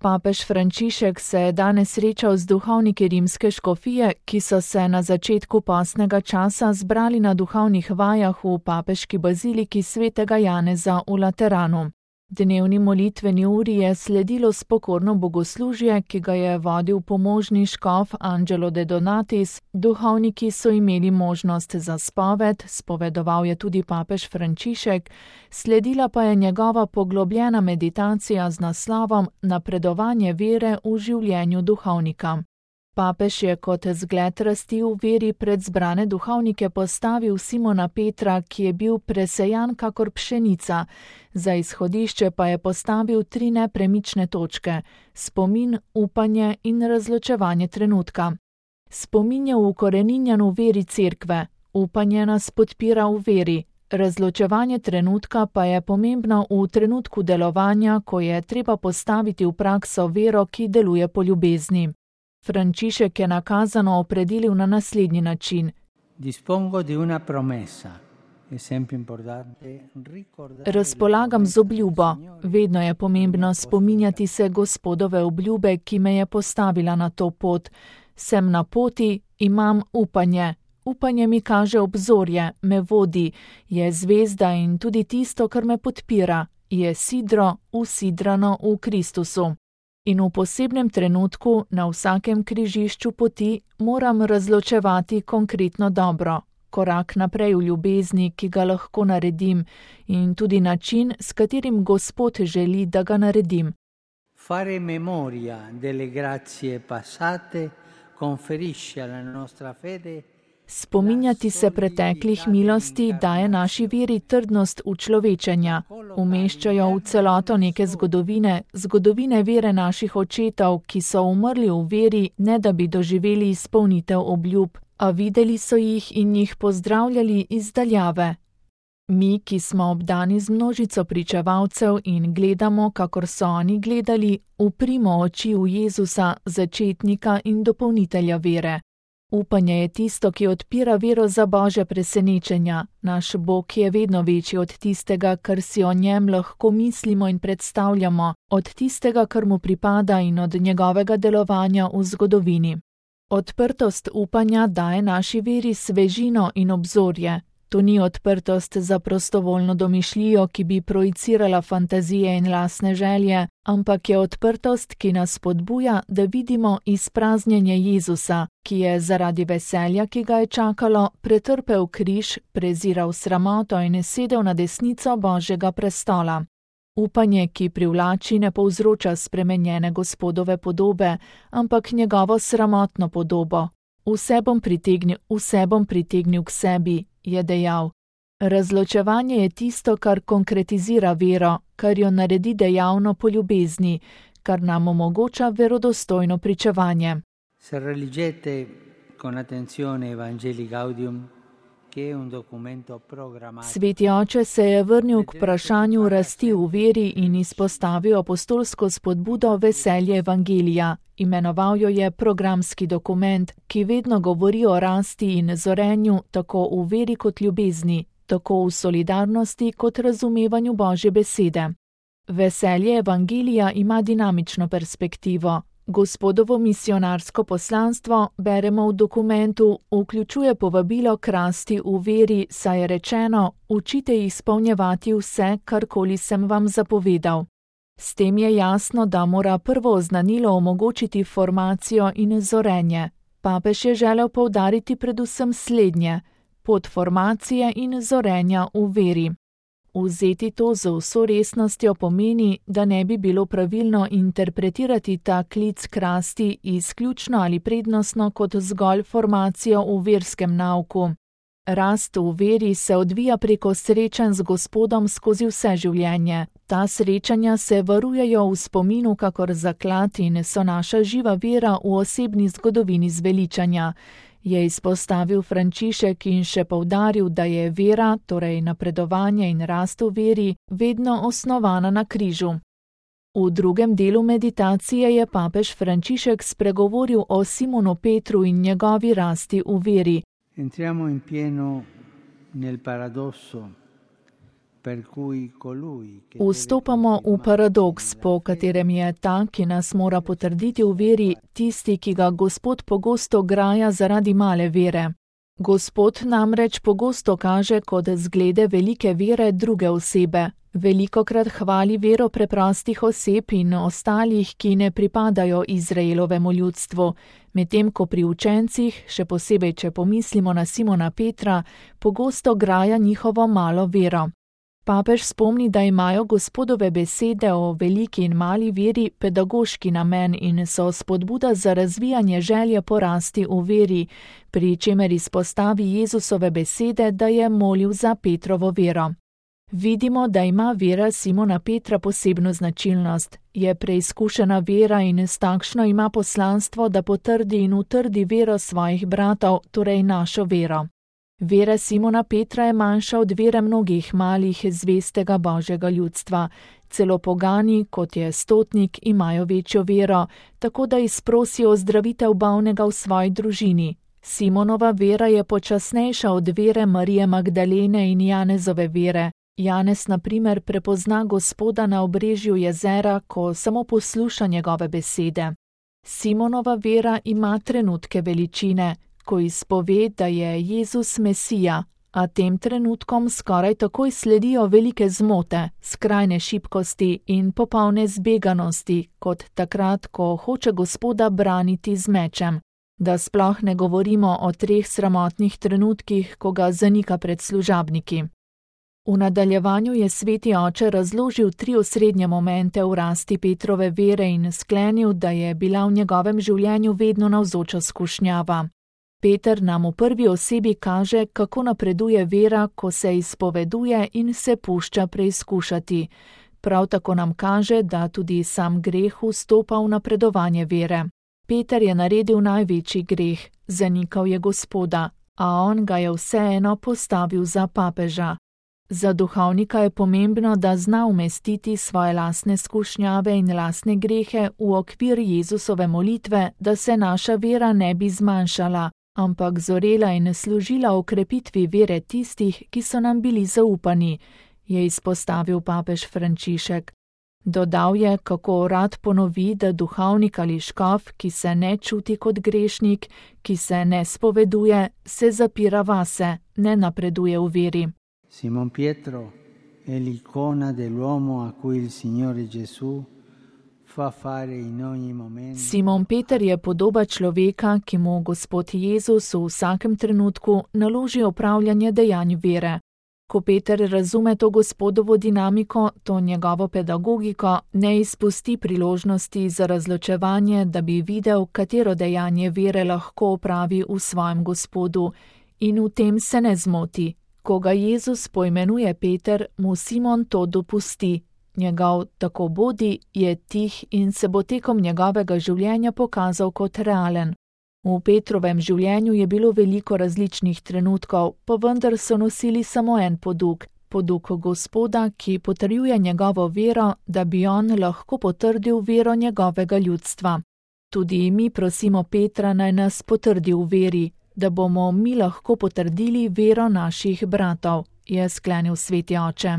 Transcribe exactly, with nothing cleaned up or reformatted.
Papež Frančišek se je danes srečal z duhovniki rimske škofije, ki so se na začetku postnega časa zbrali na duhovnih vajah v papeški baziliki svetega Janeza v Lateranu. Dnevni molitveni uri je sledilo spokorno bogoslužje, ki ga je vodil pomožni škof Angelo de Donatis. Duhovniki so imeli možnost za spoved, spovedoval je tudi papež Frančišek, sledila pa je njegova poglobljena meditacija z naslovom Napredovanje vere v življenju duhovnika. Papež je kot zgled rasti v veri pred zbrane duhovnike postavil Simona Petra, ki je bil presejan kakor pšenica. Za izhodišče pa je postavil tri nepremične točke: spomin, upanje in razločevanje trenutka. Spomin je ukoreninjen v veri cerkve, upanje nas podpira v veri, razločevanje trenutka pa je pomembno v trenutku delovanja, ko je treba postaviti v prakso vero, ki deluje po ljubezni. Frančišek je nakazano opredelil na naslednji način. Razpolagam z obljubo. Vedno je pomembno spominjati se Gospodove obljube, ki me je postavila na to pot. Sem na poti, imam upanje. Upanje mi kaže obzorje, me vodi, je zvezda in tudi tisto, kar me podpira, je sidro, usidrano v Kristusu. In v posebnem trenutku, na vsakem križišču poti, moram razločevati konkretno dobro, korak naprej v ljubezni, ki ga lahko naredim, in tudi način, s katerim Gospod želi, da ga naredim. Fare memoria delle grazie passate conferisce alla nostra fede. Spominjati se preteklih milosti daje naši veri trdnost učlovečenja, umeščajo v celoto neke zgodovine, zgodovine vere naših očetov, ki so umrli v veri, ne da bi doživeli izpolnitev obljub, a videli so jih in jih pozdravljali iz daljave. Mi, ki smo obdani z množico pričevalcev in gledamo, kakor so oni gledali, uprimo oči v Jezusa, začetnika in dopolnitelja vere. Upanje je tisto, ki odpira vero za Božja presenečenja. Naš Bog je vedno večji od tistega, kar si o njem lahko mislimo in predstavljamo, od tistega, kar mu pripada in od njegovega delovanja v zgodovini. Odprtost upanja daje naši veri svežino in obzorje. To ni odprtost za prostovoljno domišljijo, ki bi projicirala fantazije in lastne želje, ampak je odprtost, ki nas spodbuja, da vidimo izpraznjenje Jezusa, ki je zaradi veselja, ki ga je čakalo, pretrpel križ, preziral sramoto in sedel na desnico Božjega prestola. Upanje, ki privlači, ne povzroča spremenjene Gospodove podobe, ampak njegovo sramotno podobo. Vse bom pritegnil, vse bom pritegnil k sebi, je dejal. Razločevanje je tisto, kar konkretizira vero, kar jo naredi dejavno po ljubezni, kar nam omogoča verodostojno pričevanje. Se religete con attenzione Evangelii Gaudium, che è un documento programmato. Sveti oče se je vrnil k vprašanju rasti v veri in izpostavil apostolsko spodbudo veselje Evangelija. Imenoval jo je programski dokument, ki vedno govori o rasti in zorenju tako v veri kot ljubezni, tako v solidarnosti kot razumevanju Božje besede. Veselje Evangelija ima dinamično perspektivo. Gospodovo misionarsko poslanstvo, beremo v dokumentu, vključuje povabilo k rasti v veri, saj je rečeno, učite izpolnjevati vse, karkoli sem vam zapovedal. S tem je jasno, da mora prvo oznanilo omogočiti formacijo in zorenje. Papež je želel poudariti predvsem slednje, pot formacije in zorenja v veri. Vzeti to z vso resnostjo pomeni, da ne bi bilo pravilno interpretirati ta klic k rasti izključno ali prednostno kot zgolj formacijo v verskem nauku. Rast v veri se odvija preko srečanj z Gospodom skozi vse življenje. Ta srečanja se varujejo v spominu kakor zaklad in so naša živa vera v osebni zgodovini zveličanja, je izpostavil Frančišek in še poudaril, da je vera, torej napredovanje in rast v veri, vedno osnovana na križu. V drugem delu meditacije je papež Frančišek spregovoril o Simonu Petru in njegovi rasti v veri. Entriamo in pieno nel paradosso Vstopamo v paradoks, po katerem je ta, ki nas mora potrditi v veri, tisti, ki ga Gospod pogosto graja zaradi male vere. Gospod namreč pogosto kaže kot zglede velike vere druge osebe. Velikokrat hvali vero preprostih oseb in ostalih, ki ne pripadajo Izraelovemu ljudstvu, medtem ko pri učencih, še posebej če pomislimo na Simona Petra, pogosto graja njihovo malo vero. Papež spomni, da imajo Gospodove besede o veliki in mali veri pedagoški namen in so spodbuda za razvijanje želje porasti v veri, pri čemer izpostavi Jezusove besede, da je molil za Petrovo vero. Vidimo, da ima vera Simona Petra posebno značilnost. Je preizkušena vera in s takšno ima poslanstvo, da potrdi in utrdi vero svojih bratov, torej našo vero. Vera Simona Petra je manjša od vere mnogih malih zvestega Božjega ljudstva. Celo pogani, kot je stotnik, imajo večjo vero, tako da izprosijo ozdravitev bolnega v svoji družini. Simonova vera je počasnejša od vere Marije Magdalene in Janezove vere. Janez, na primer, prepozna Gospoda na obrežju jezera, ko samo posluša njegove besede. Simonova vera ima trenutke veličine, ko izpove, da je Jezus Mesija, a tem trenutkom skoraj takoj sledijo velike zmote, skrajne šibkosti in popolne zbeganosti, kot takrat, ko hoče Gospoda braniti z mečem. Da sploh ne govorimo o treh sramotnih trenutkih, ko ga zanika pred služabniki. V nadaljevanju je sveti oče razložil tri osrednje momente v rasti Petrove vere in sklenil, da je bila v njegovem življenju vedno navzoča skušnjava. Peter nam v prvi osebi kaže, kako napreduje vera, ko se izpoveduje in se pušča preizkušati. Prav tako nam kaže, da tudi sam greh vstopa v napredovanje vere. Peter je naredil največji greh, zanikal je Gospoda, a on ga je vseeno postavil za papeža. Za duhovnika je pomembno, da zna umestiti svoje lastne skušnjave in lastne grehe v okvir Jezusove molitve, da se naša vera ne bi zmanjšala, ampak zorela in služila okrepitvi vere tistih, ki so nam bili zaupani, je izpostavil papež Frančišek. Dodal je, kako rad ponovi, da duhovnik ali škof, ki se ne čuti kot grešnik, ki se ne spoveduje, se zapira vase, ne napreduje v veri. Simon Pietro è l'icona dell'uomo a cui il Signore Gesù fa fare in ogni momento. Simon Peter je podoba človeka, ki mu Gospod Jezus v vsakem trenutku naloži opravljanje dejanj vere. Ko Peter razume to Gospodovo dinamiko, to njegovo pedagogiko, ne izpusti priložnosti za razločevanje, da bi videl, katero dejanje vere lahko opravi v svojem Gospodu, in v tem se ne zmoti. Ko ga Jezus poimenuje Peter, mu Simon to dopusti. Njegov tako bodi je tih in se bo tekom njegovega življenja pokazal kot realen. V Petrovem življenju je bilo veliko različnih trenutkov, pa vendar so nosili samo en poduk, poduk Gospoda, ki potrjuje njegovo vero, da bi on lahko potrdil vero njegovega ljudstva. Tudi mi prosimo Petra, naj nas potrdi v veri, da bomo mi lahko potrdili vero naših bratov, je sklenil sveti oče.